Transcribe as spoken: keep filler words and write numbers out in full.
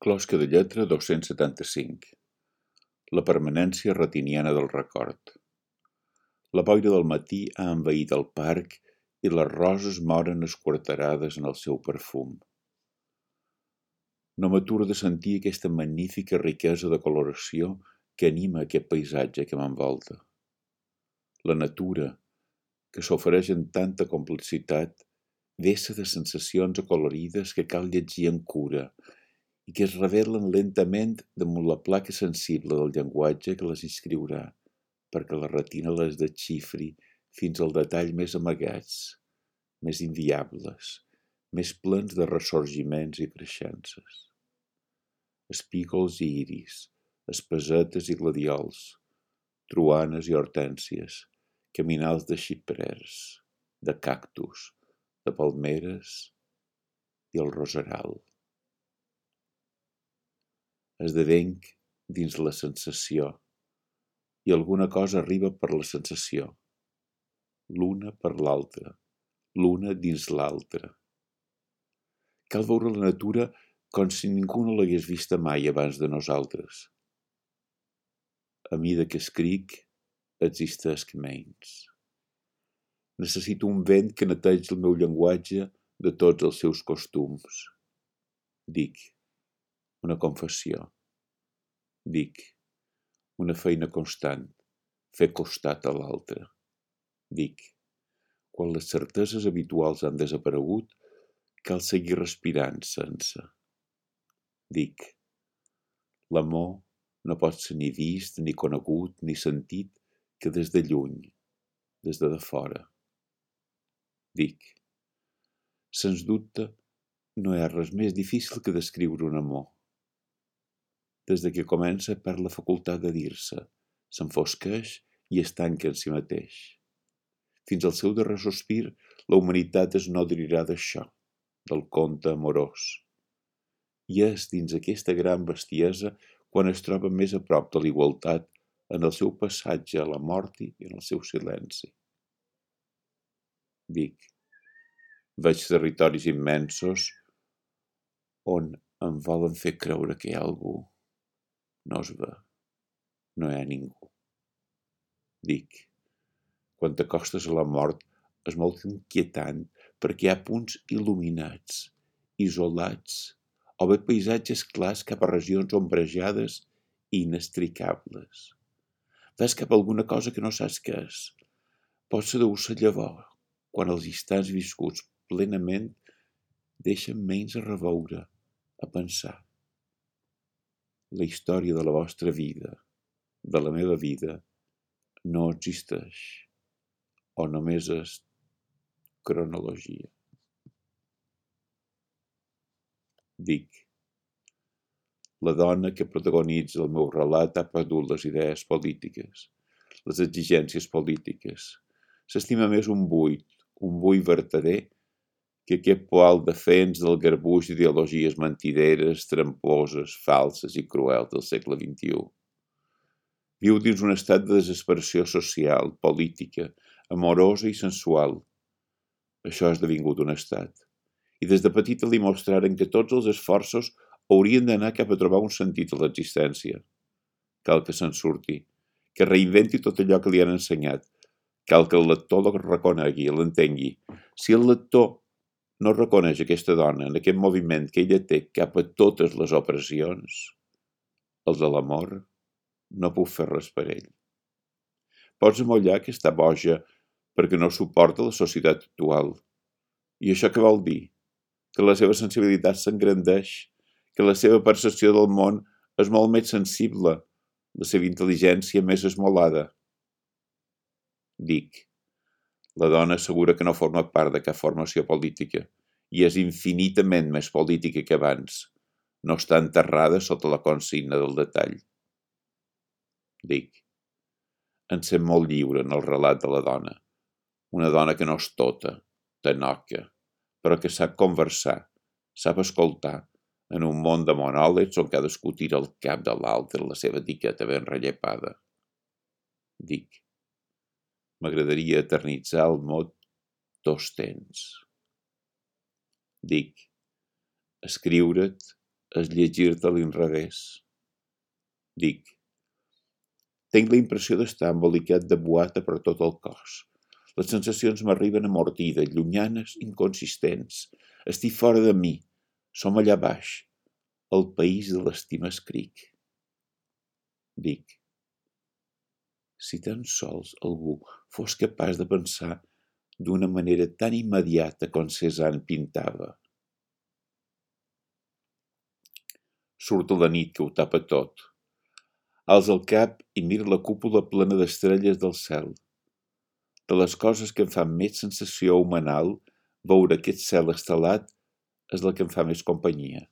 Closca de lletra dos-cents setanta-cinc. La permanència retiniana del record. La boira del matí ha envaït el parc i les roses moren esquarterades en el seu perfum. No m'aturo de sentir aquesta magnífica riquesa de coloració que anima aquest paisatge que m'envolta. La natura, que s'ofereix en tanta complexitat, vessa de sensacions acolorides que cal llegir amb cura i que es revelen lentament damunt la placa sensible del llenguatge que les inscriurà, perquè la retina les desxifri fins al detall més amagats, més inviables, més plens de ressorgiments i creixences. Espígols i iris, espasetes i gladiols, truanes i hortènsies, caminals de xiprers, de cactus, de palmeres i el roseral. Esdevenc dins la sensació i alguna cosa arriba per la sensació, l'una per l'altra, l'una dins l'altra. Cal veure la natura com si ningú no l'hagués vista mai abans de nosaltres. A mida que escric, existesc menys. Necessito un vent que netegi el meu llenguatge de tots els seus costums. Dic, una confessió. Dic, una feina constant, fer costat a l'altre. Dic, quan les certeses habituals han desaparegut, cal seguir respirant sense. Dic, l'amor no pot ser ni vist, ni conegut, ni sentit que des de lluny, des de fora. Dic, sens dubte, no hi ha res més difícil que descriure un amor. Des de que comença perd la facultat de dir-se, s'enfosqueix i es tanca en si mateix. Fins al seu darrer sospir, la humanitat es nodrirà d'això, del conte amorós. I és dins aquesta gran bestiesa quan es troba més a prop de l'igualtat en el seu passatge a la mort i en el seu silenci. Dic, veig territoris immensos on em volen fer creure que hi ha algú. No es ve, no hi ha ningú. Dic, quan t'acostes a la mort és molt inquietant perquè hi ha punts il·luminats, isolats, o bé paisatges clars cap a regions ombrejades i inextricables. Ves cap a alguna cosa que no saps què és. Potser deu ser llavor, quan els instants viscuts plenament deixen menys a reveure, a pensar. La història de la vostra vida, de la meva vida, no existeix, o només és cronologia. Dic, la dona que protagonitza el meu relat ha perdut les idees polítiques, les exigències polítiques. S'estima més un buit, un buit vertader, que aquest poal defens del garbuix d'ideologies mentideres, tramposes, falses i cruels del segle vint-i-u. Viu dins un estat de desesperació social, política, amorosa i sensual. Això ha esdevingut un estat. I des de petita li mostraren que tots els esforços haurien d'anar cap a trobar un sentit a l'existència. Cal que se'n surti, que reinventi tot allò que li han ensenyat. Cal que el lector la reconegui, l'entengui. Si el lector no reconeix aquesta dona en aquest moviment que ella té cap a totes les opressions, el de l'amor, no puc fer res per ell. Pots amollar que està boja perquè no suporta la societat actual. I això què vol dir? Que la seva sensibilitat s'engrandeix, que la seva percepció del món és molt més sensible, la seva intel·ligència més esmolada. Dic, la dona assegura que no forma part de cap formació política i és infinitament més política que abans. No està enterrada sota la consigna del detall. Dic, em sent molt lliure en el relat de la dona. Una dona que no és tota, tanoca, però que sap conversar, sap escoltar, en un món de monòlegs on cadascú tira el cap de l'altre la seva etiqueta ben rellepada. Dic, m'agradaria eternitzar el mot dos temps. Dic, escriure't és llegir-te a l'inrevés. Dic, tinc la impressió d'estar embolicat de boata per tot el cos. Les sensacions m'arriben amortides, llunyanes, inconsistents. Estic fora de mi. Som allà baix. El país de l'estima escric. Dic, si tan sols algú fos capaç de pensar d'una manera tan immediata com Cézanne pintava. Surt la nit que ho tapa tot. Alça el cap i mira la cúpula plena d'estrelles del cel. De les coses que em fan més sensació humanal, veure aquest cel estelat és la que em fa més companyia.